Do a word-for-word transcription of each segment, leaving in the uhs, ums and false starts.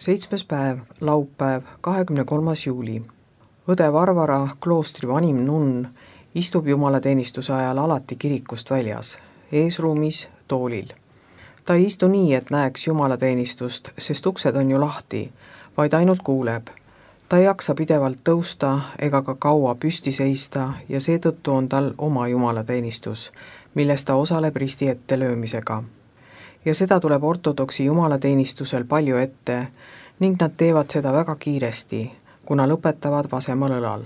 Seitsmes päev, laupäev, kahekümne kolmas juuli. Õde Varvara, kloostri vanim nunn, istub jumalateenistuse ajal alati kirikust väljas, eesruumis toolil. Ta ei istu nii, et näeks jumalateenistust, sest uksed on ju lahti, vaid ainult kuuleb. Ta ei jaksa pidevalt tõusta ega ka kaua püsti seista ja seetõttu on tal oma jumalateenistus, milles ta osaleb risti ette löömisega. Ja seda tuleb ortodoksi jumalateenistusel palju ette ning nad teevad seda väga kiiresti, kuna lõpetavad vasemal õlal.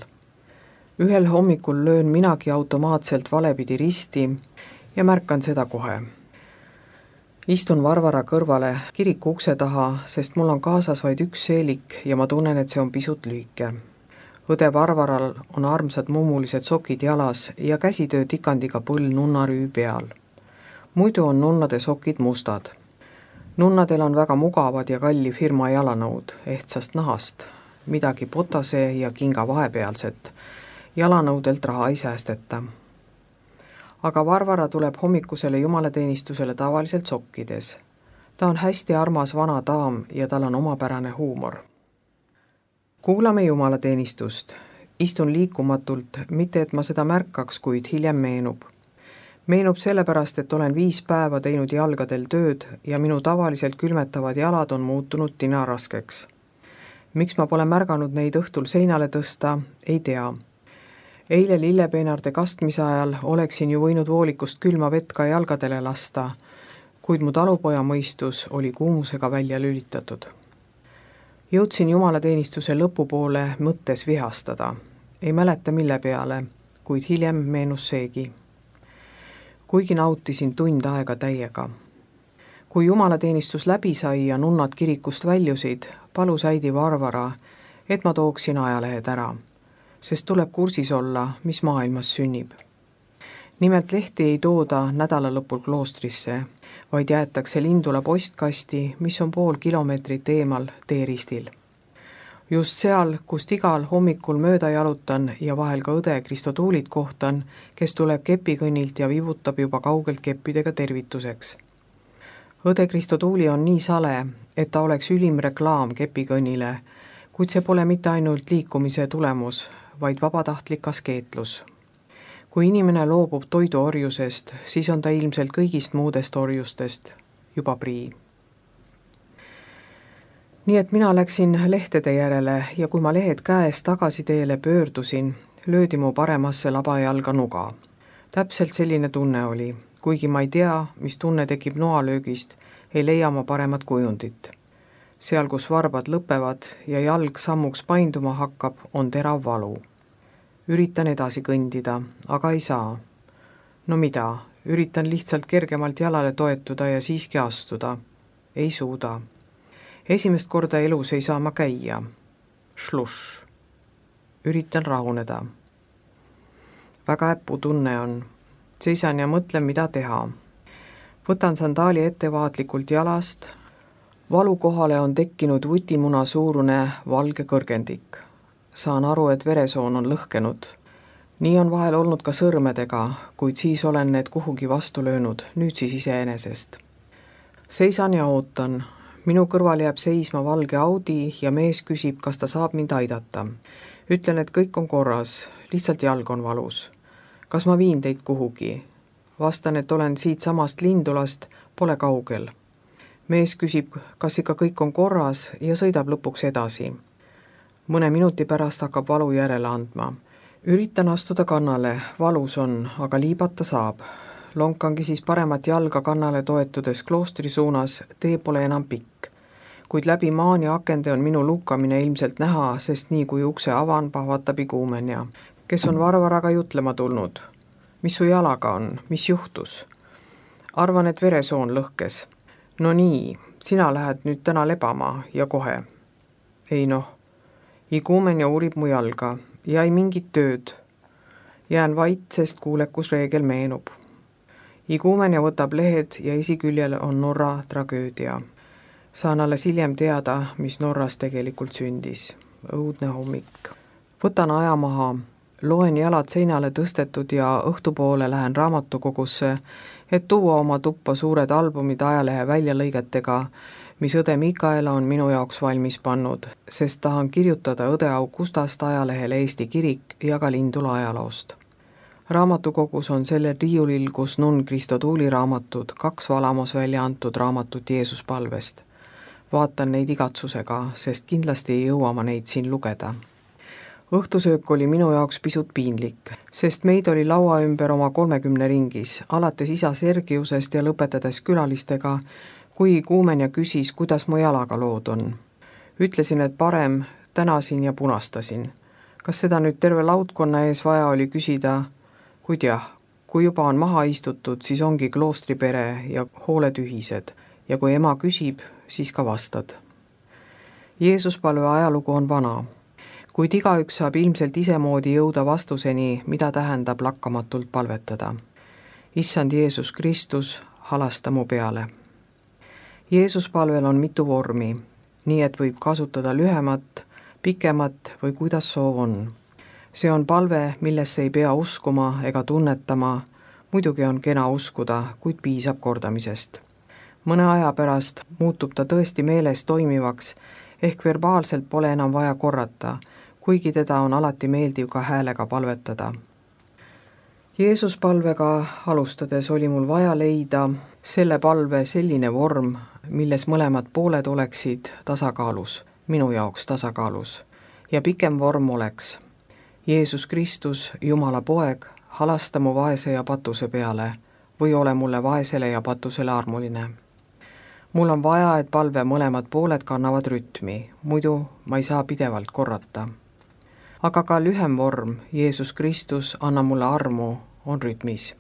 Ühel hommikul löön minagi automaatselt valepidi risti ja märkan seda kohe. Istun Varvara kõrvale kiriku ukse taha, sest mul on kaasas vaid üks seelik ja ma tunnen, et see on pisut lühike. Õde Varvaral on armsad mummulised sokid jalas ja käsitöö tikandiga põll nunnarüü peal. Muidu on nunnade sokid mustad. Nunnadel on väga mugavad ja kalli firma jalanõud, ehtsast nahast, midagi potase ja kinga vahepealset. Jalanõudelt raha ei säästeta. Aga Varvara tuleb hommikusele jumalateenistusele tavaliselt sokkides. Ta on hästi armas vana daam ja tal on omapärane huumor. Kuulame jumalateenistust. Istun liikumatult, mitte et ma seda märkaks, kuid hiljem meenub. Meenub sellepärast, et olen viis päeva teinud jalgadel tööd ja minu tavaliselt külmetavad jalad on muutunud tinaraskeks. Miks ma pole märganud neid õhtul seinale tõsta, ei tea. Eile lillepeenarde kastmise ajal oleksin ju võinud voolikust külma vett ka jalgadele lasta, kuid mu talupoja mõistus oli kuumusega välja lülitatud. Jõudsin jumalateenistuse lõpupoole mõttes vihastada. Ei mäleta mille peale, kuid hiljem meenus seegi. Kuigi nautisin tund aega täiega. Kui jumalateenistus läbi sai ja nunnad kirikust väljusid, palus äidi Varvara, et ma tooksin ajalehed ära, sest tuleb kursis olla, mis maailmas sünnib. Nimelt lehti ei tooda nädala lõpul kloostrisse, vaid jäetakse Lindula postkasti, mis on pool kilomeetrit eemal teeristil. Just seal, kust igal hommikul mööda jalutan ja vahel ka õde Kristotuulit kohtan, kes tuleb kepikõnnilt ja vivutab juba kaugelt keppidega tervituseks. Õde Kristotuuli on nii sale, et ta oleks ülim reklaam kepikõnnile, kuid see pole mitte ainult liikumise tulemus, vaid vabatahtlik askeetlus. Kui inimene loobub toiduorjusest, siis on ta ilmselt kõigist muudest orjustest juba prii. Nii et mina läksin lehtede järele ja kui ma lehed käes tagasi teele pöördusin, löödi mu paremasse labajalga nuga. Täpselt selline tunne oli, kuigi ma ei tea, mis tunne tekib noalöögist, ei leia ma paremat kujundit. Seal, kus varbad lõpevad ja jalg sammuks painduma hakkab, on terav valu. Üritan edasi kõndida, aga ei saa. No mida, üritan lihtsalt kergemalt jalale toetuda ja siiski astuda. Ei suuda. Esimest korda elus ei saa ma käia. Šluš. Üritan rahuneda. Väga äppu tunne on. Seisan ja mõtlen, mida teha. Võtan sandaali ettevaatlikult jalast. Valu kohale on tekkinud vutimuna suurune valge kõrgendik. Saan aru, et veresoon on lõhkenud. Nii on vahel olnud ka sõrmedega, kuid siis olen need kuhugi vastu löönud, nüüd siis iseenesest. Seisan ja ootan. Minu kõrval jääb seisma valge Audi ja mees küsib, kas ta saab mind aidata. Ütlen, et kõik on korras, lihtsalt jalg on valus. Kas ma viin teid kuhugi? Vastan, et olen siit samast Lindulast, pole kaugel. Mees küsib, kas ikka kõik on korras ja sõidab lõpuks edasi. Mõne minuti pärast hakkab valu järele andma. Üritan astuda kannale, valus on, aga liibata saab. Lonkangi siis paremat jalga kannale toetudes kloostri suunas, tee pole enam pikk. Kuid läbi maani akende on minu lukkamine ilmselt näha, sest nii kui ukse avan, pahvatab iguumenja, kes on Varvaraga jutlema tulnud. Mis su jalaga on? Mis juhtus? Arvan, et veresoon lõhkes. No nii, sina lähed nüüd täna lebama ja kohe. Ei noh, iguumenja uurib mu jalga ja ei mingit tööd. Jään vait, sest kuulekusreegel meenub. Iguumenja võtab lehed ja esiküljel on Norra tragöödia. Saan alles hiljem teada, mis Norras tegelikult sündis. Õudne hommik. Võtan aja maha, loen jalad seinale tõstetud ja õhtupoole lähen raamatukogusse, et tuua oma tuppa suured albumid ajalehe väljalõigetega, mis õde Mikaela on minu jaoks valmis pannud, sest tahan kirjutada õde Augustast ajalehele Eesti Kirik ja ka Lindula ajaloost. Raamatukogus on sellel riiulil, kus nunn Kristo Tuuli raamatud, kaks Valamos välja antud raamatut Jeesuspalvest. Vaatan neid igatsusega, sest kindlasti ei jõua ma neid siin lugeda. Õhtusöök oli minu jaoks pisut piinlik, sest meid oli laua ümber oma kolmekümne ringis, alates isa Sergiusest ja lõpetades külalistega, kui kuumen ja küsis, kuidas mu jalaga lood on. Ütlesin, et parem, tänasin ja punastasin. Kas seda nüüd terve laudkonna ees vaja oli küsida? Kuid jah, kui juba on maha istutud, siis ongi kloostripere ja hooled ühised ja kui ema küsib, siis ka vastad. Jeesuspalve ajalugu on vana, kuid igaüks saab ilmselt isemoodi jõuda vastuseni, mida tähendab lakkamatult palvetada. Issand Jeesus Kristus, halasta mu peale. Jeesuspalvel on mitu vormi, nii et võib kasutada lühemat, pikemat või kuidas soov on. See on palve, millesse ei pea uskuma ega tunnetama, muidugi on kena uskuda, kuid piisab kordamisest. Mõne aja pärast muutub ta tõesti meeles toimivaks, ehk verbaalselt pole enam vaja korrata, kuigi teda on alati meeldiv ka häälega palvetada. Jeesuspalvega alustades oli mul vaja leida selle palve selline vorm, milles mõlemad pooled oleksid tasakaalus, minu jaoks tasakaalus, ja pikem vorm oleks Jeesus Kristus, Jumala poeg, halasta mu vaese ja patuse peale või ole mulle vaesele ja patusele armuline. Mul on vaja, et palve mõlemad pooled kannavad rütmi, muidu ma ei saa pidevalt korrata. Aga ka lühem vorm, Jeesus Kristus, anna mulle armu, on rütmis.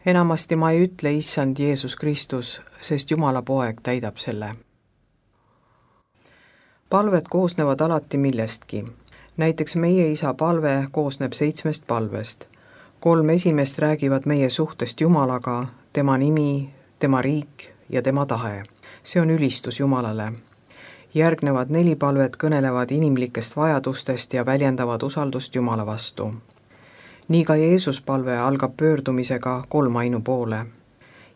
Enamasti ma ei ütle issand Jeesus Kristus, sest Jumala poeg täidab selle. Palved koosnevad alati millestki. Näiteks meie isa palve koosneb seitsmest palvest. Kolm esimest räägivad meie suhtest Jumalaga, tema nimi, tema riik ja tema tahe. See on ülistus Jumalale. Järgnevad neli palvet kõnelevad inimlikest vajadustest ja väljendavad usaldust Jumala vastu. Nii ka Jeesuspalve algab pöördumisega kolmainu poole.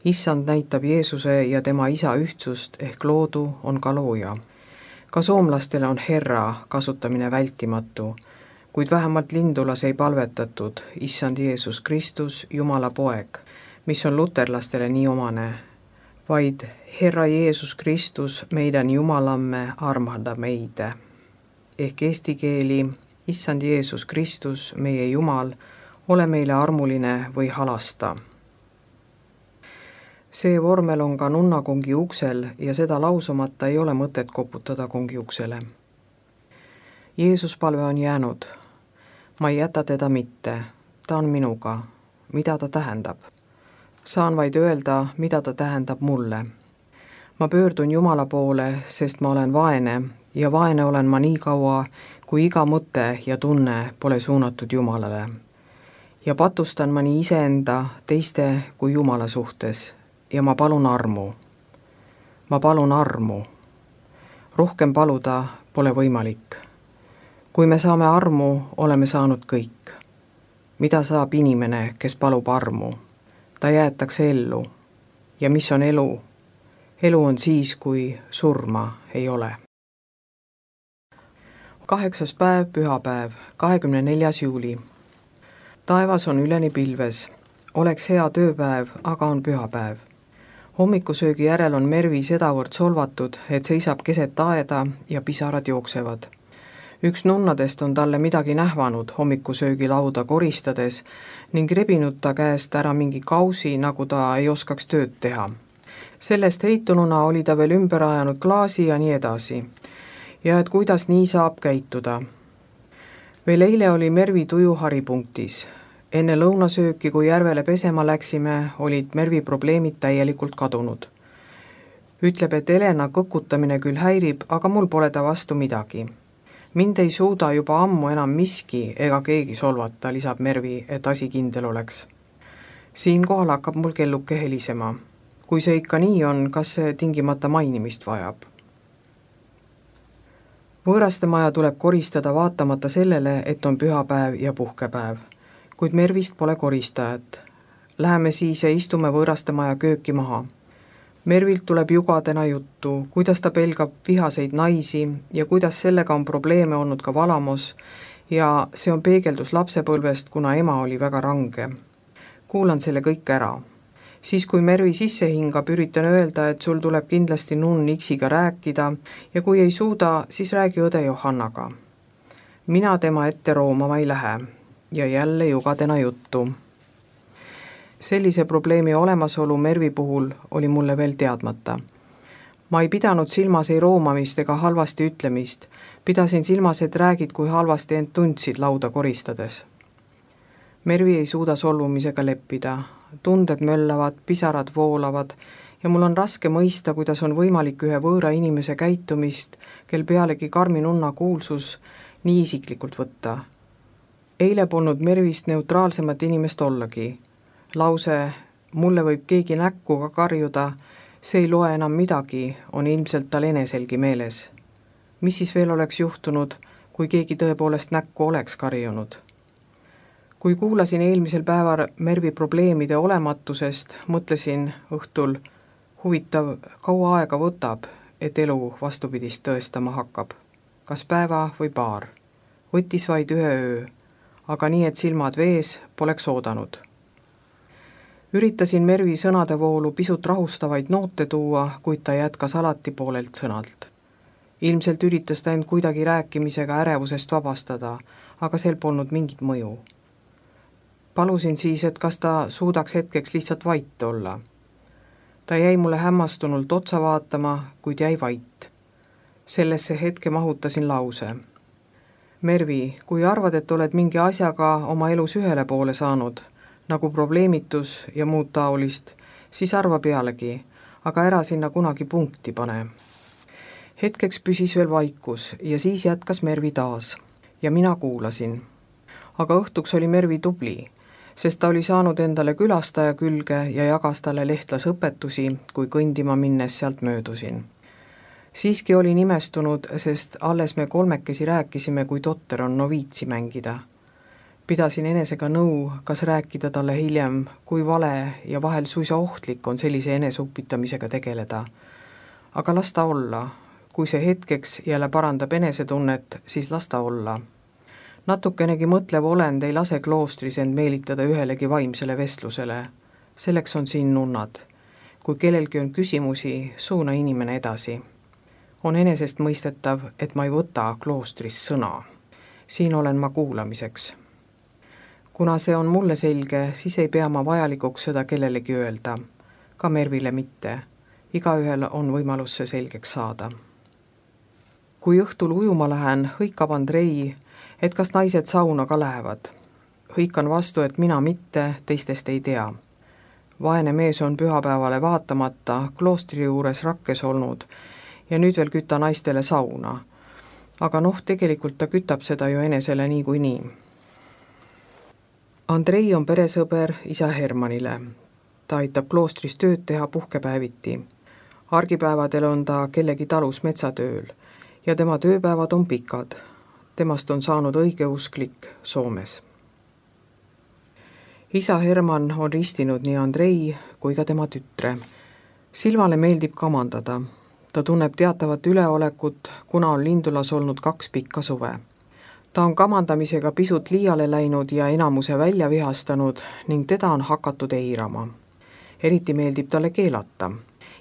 Issand näitab Jeesuse ja tema isa ühtsust ehk loodu on ka looja. Ka soomlastele on herra kasutamine vältimatu, kuid vähemalt Lindulas ei palvetatud issand Jeesus Kristus, Jumala poeg, mis on luterlastele nii omane, vaid Herra Jeesus Kristus, meidän Jumalamme, armahda meitä. Ehk eesti keeli, issand Jeesus Kristus, meie Jumal, ole meile armuline või halasta. See vormel on ka nunnakongi uksel ja seda lausumata ei ole mõtet koputada kongi uksele. Jeesuspalve on jäänud. Ma ei jäta teda mitte. Ta on minuga. Mida ta tähendab? Saan vaid öelda, mida ta tähendab mulle. Ma pöördun Jumala poole, sest ma olen vaene ja vaene olen ma nii kaua, kui iga mõte ja tunne pole suunatud Jumalale. Ja patustan ma nii iseenda, teiste kui Jumala suhtes. Ja ma palun armu. Ma palun armu. Rohkem paluda pole võimalik. Kui me saame armu, oleme saanud kõik. Mida saab inimene, kes palub armu? Ta jäetakse ellu. Ja mis on elu? Elu on siis, kui surma ei ole. Kaheksas päev, pühapäev, kahekümne neljas juuli. Taevas on üleni pilves. Oleks hea tööpäev, aga on pühapäev. Hommikusöögi järel on Mervi sedavõrd solvatud, et seisab keset aeda ja pisarad jooksevad. Üks nunnadest on talle midagi nähvanud hommikusöögi lauda koristades ning rebinud ta käest ära mingi kausi, nagu ta ei oskaks tööd teha. Sellest heitununa oli ta veel ümber ajanud klaasi ja nii edasi. Ja et kuidas nii saab käituda. Veel eile oli Mervi tuju haripunktis. Enne lõunasööki, kui järvele pesema läksime, olid Mervi probleemid täielikult kadunud. Ütleb, et Elena kõkutamine küll häirib, aga mul pole ta vastu midagi. Mind ei suuda juba ammu enam miski ega keegi solvata, lisab Mervi, et asi kindel oleks. Siinkohal hakkab mul kelluke helisema. Kui see ikka nii on, kas see tingimata mainimist vajab? Võõrastemaja tuleb koristada vaatamata sellele, et on pühapäev ja puhkepäev. Kuid Mervist pole koristajat. Läheme siis ja istume võõrastemaja kööki maha. Mervilt tuleb jugadena juttu, kuidas ta pelgab vihaseid naisi ja kuidas sellega on probleeme olnud ka Valamos ja see on peegeldus lapsepõlvest, kuna ema oli väga range. Kuulan selle kõik ära. Siis kui Mervi sisse hingab, üritan öelda, et sul tuleb kindlasti nunn Iksiga rääkida ja kui ei suuda, siis räägi õde Johannaga. Mina tema ette roomama ei lähe ja jälle jugadena juttu. Sellise probleemi olemasolu Mervi puhul oli mulle veel teadmata. Ma ei pidanud silmas ei roomamist ega halvasti ütlemist, pidasin silmas, et räägid, kui halvasti end tundsid lauda koristades. Mervi ei suuda solvumisega leppida, tunded möllavad, pisarad voolavad ja mul on raske mõista, kuidas on võimalik ühe võõra inimese käitumist, kel pealegi Karmi nunna kuulsus, nii isiklikult võtta. Eile polnud Mervist neutraalsemat inimest ollagi. Lause, mulle võib keegi näkku ka karjuda, see ei loe enam midagi, on ilmselt tal eneselgi meeles. Mis siis veel oleks juhtunud, kui keegi tõepoolest näkku oleks karjunud? Kui kuulasin eelmisel päeval Mervi probleemide olematusest, mõtlesin õhtul, huvitav, kaua aega võtab, et elu vastupidist tõestama hakkab. Kas päeva või paar? Võttis vaid ühe öö, aga nii, et silmad vees poleks oodanud. Üritasin Mervi sõnadevoolu pisut rahustavaid noote tuua, kuid ta jätkas alati poolelt sõnalt. Ilmselt üritas ta end kuidagi rääkimisega ärevusest vabastada, aga sel polnud mingit mõju. Palusin siis, et kas ta suudaks hetkeks lihtsalt vait olla. Ta jäi mulle hämmastunult otsa vaatama, kuid jäi vait. Sellesse hetke mahutasin lause. Mervi, kui arvad, et oled mingi asjaga oma elus ühele poole saanud, nagu probleemitus ja muud taolist, siis arva pealegi, aga ära sinna kunagi punkti pane. Hetkeks püsis veel vaikus ja siis jätkas Mervi taas ja mina kuulasin. Aga õhtuks oli Mervi tubli, sest ta oli saanud endale külastaja külge ja jagas talle lehtlasõpetusi, kui kõndima minnes sealt möödusin. Siiski oli nimestunud, sest alles me kolmekesi rääkisime, kui totter on noviitsi mängida. Pidasin enesega nõu, kas rääkida talle hiljem, kui vale ja vahel suisa ohtlik on sellise eneseupitamisega tegeleda. Aga las ta olla. Kui see hetkeks jälle parandab enesetunnet, siis las ta olla. Natukenegi mõtlev olend ei lase kloostris end meelitada ühelegi vaimsele vestlusele. Selleks on siin nunnad. Kui kellelgi on küsimusi, suuna inimene edasi. On enesest mõistetav, et ma ei võta kloostris sõna. Siin olen ma kuulamiseks. Kuna see on mulle selge, siis ei pea ma vajalikuks seda kellelegi öelda. Ka Mervile mitte. Igaühel on võimalus see selgeks saada. Kui õhtul ujuma lähen, hõikab Andrei, et kas naised sauna ka lähevad. Hõikan vastu, et mina mitte, teistest ei tea. Vaene mees on pühapäevale vaatamata kloostri juures rakkes olnud ja nüüd veel kütta naistele sauna. Aga noh, tegelikult ta kütab seda ju enesele nii kui nii. Andrei on peresõber isa Hermanile. Ta aitab kloostris tööd teha puhkepäeviti. Argipäevadel on ta kellegi talus metsatööl ja tema tööpäevad on pikad. Temast on saanud õigeusklik Soomes. Isa Herman on ristinud nii Andrei kui ka tema tütre. Silvale meeldib kamandada. Ta tunneb teatavat üleolekut, kuna on Lindulas olnud kaks pikka suve. Ta on kamandamisega pisut liiale läinud ja enamuse välja vihastanud ning teda on hakatud eirama. Eriti meeldib talle keelata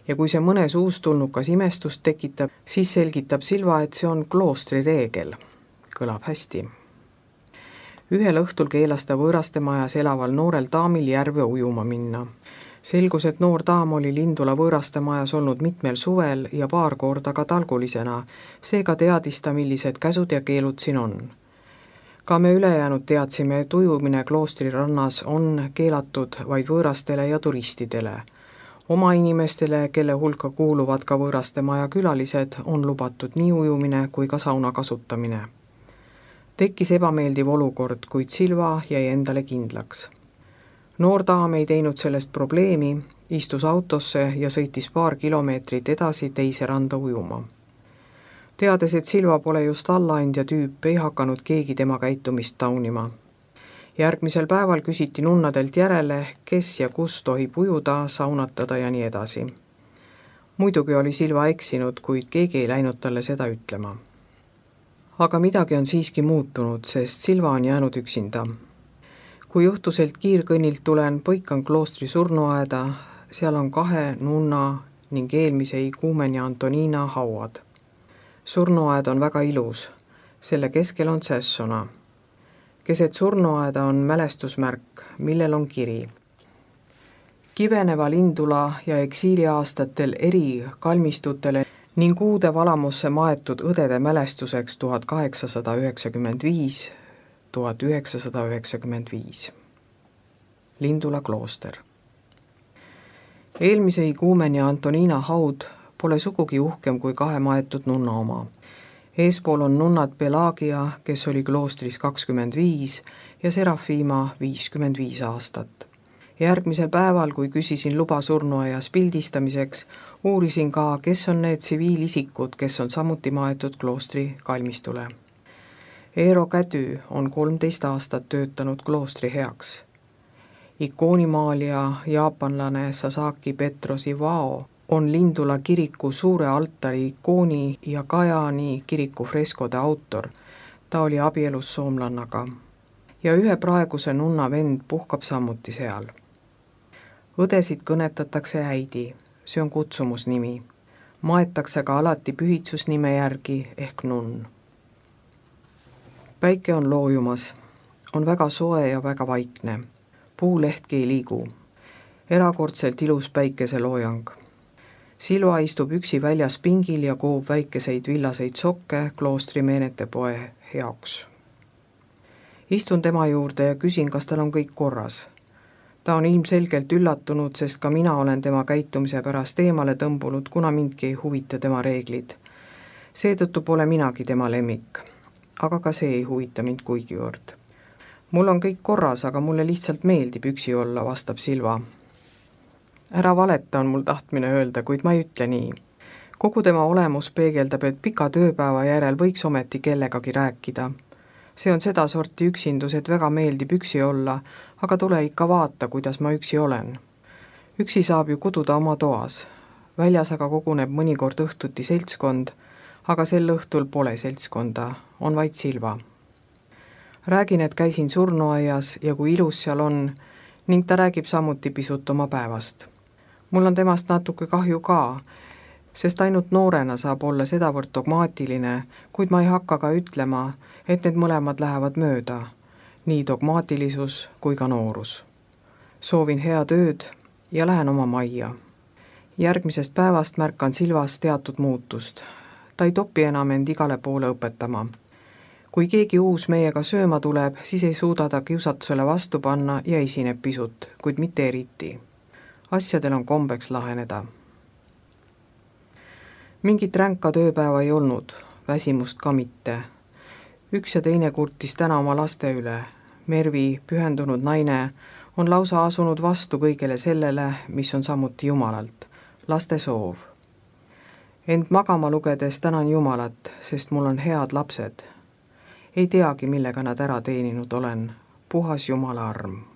ja kui see mõnes uustulnukas imestust tekitab, siis selgitab Silva, et see on kloostri reegel. Kõlab hästi. Ühel õhtul keelas ta võõraste majas elaval noorel daamil järve ujuma minna. Selgus, et noor daam oli Lindula võõraste majas olnud mitmel suvel ja paar korda ka talgulisena, seega teadis ta, millised käsud ja keelud siin on. Ka me ülejäänud teadsime, et ujumine kloostri rannas on keelatud vaid võõrastele ja turistidele. Oma inimestele, kelle hulka kuuluvad ka võõraste maja külalised, on lubatud nii ujumine kui ka sauna kasutamine. Tekkis ebameeldiv olukord, kuid Silva jäi endale kindlaks. Noor daam ei teinud sellest probleemi, istus autosse ja sõitis paar kilomeetrit edasi teise randa ujuma. Teades, et Silva pole just allaandja tüüp, ei hakanud keegi tema käitumist taunima. Järgmisel päeval küsiti nunnadelt järele, kes ja kus tohib ujuda, saunatada ja nii edasi. muidugi oli Silva eksinud, kuid keegi ei läinud talle seda ütlema. Aga midagi on siiski muutunud, sest Silva on jäänud üksinda. Kui juhtuselt kiirkõnnilt tulen, põikan kloostri surnuaeda, seal on kahe nunna ning eelmise iguumeni Antoniina hauad. Surnuaed on väga ilus, selle keskel on sessona. Keset surnuaeda on mälestusmärk, millel on kiri. Kiveneva Lindula ja eksiiliaastatel eri kalmistutele ning uude valamusse maetud õdede mälestuseks tuhat kaheksasada üheksakümmend viis tuhat üheksasada üheksakümmend viis. Lindula klooster. Eelmise iguumeni Antoniina haud pole sugugi uhkem kui kahe maetud nunna oma. Eespool on nunnad Pelagia, kes oli kloostris kakskümmend viis ja Serafima viiskümmend viis aastat. Järgmisel päeval, kui küsisin luba surnuaias pildistamiseks, uurisin ka, kes on need tsiviilisikud, kes on samuti maetud kloostri kalmistule. Eero Kätü on kolmteist aastat töötanud kloostri heaks. Ikoonimaalija jaapanlane Sasaki Petros Iwao on Lindula kiriku suure altari ikooni ja Kajani kiriku freskode autor. Ta oli abielus soomlannaga. Ja ühe praeguse nunna vend puhkab samuti seal. Õdesid kõnetatakse äidi, see on kutsumusnimi. Maetakse ka alati pühitsusnime järgi ehk nunn. Päike on loojumas, on väga soe ja väga vaikne. Puulehtki ei liigu. Erakordselt ilus päikeseloojang. Silva istub üksi väljas pingil ja koob väikeseid villaseid sokke kloostri meenetepoe heaks. Istun tema juurde ja küsin, kas tal on kõik korras. Ta on ilmselgelt üllatunud, sest ka mina olen tema käitumise pärast eemale tõmbunud, kuna mindki ei huvita tema reeglid. Seetõttu pole minagi tema lemmik, aga ka see ei huvita mind kuigivõrd. Mul on kõik korras, aga mulle lihtsalt meeldib üksi olla, vastab Silva. Ära valeta on mul tahtmine öelda, kuid ma ei ütle nii. Kogu tema olemus peegeldab, et pika tööpäeva järel võiks ometi kellegagi rääkida. See on seda sorti üksindus, et väga meeldib üksi olla, aga tule ikka vaata, kuidas ma üksi olen. Üksi saab ju kududa oma toas. Väljas aga koguneb mõnikord õhtuti seltskond, aga sel õhtul pole seltskonda, on vaid Silva. Räägin, et käisin surnuaias ja kui ilus seal on, ning ta räägib samuti pisut oma päevast. Mul on temast natuke kahju ka, sest ainult noorena saab olla sedavõrd dogmaatiline, kuid ma ei hakka ka ütlema, et need mõlemad lähevad mööda, nii dogmaatilisus kui ka noorus. Soovin hea tööd ja lähen oma majja. Järgmisest päevast märkan Silvas teatud muutust. Ta ei topi enam end igale poole õpetama. Kui keegi uus meiega sööma tuleb, siis ei suuda ta kiusatusele vastu panna ja esineb pisut, kuid mitte eriti. Asjadel on kombeks laheneda. Mingit ränka tööpäeva ei olnud, väsimust ka mitte. Üks ja teine kurtis täna oma laste üle. Mervi, pühendunud naine, on lausa asunud vastu kõigele sellele, mis on samuti Jumalalt, laste soov. Ent magama lugedes tänan Jumalat, sest mul on head lapsed. Ei teagi, millega nad ära teeninud olen, puhas Jumala arm.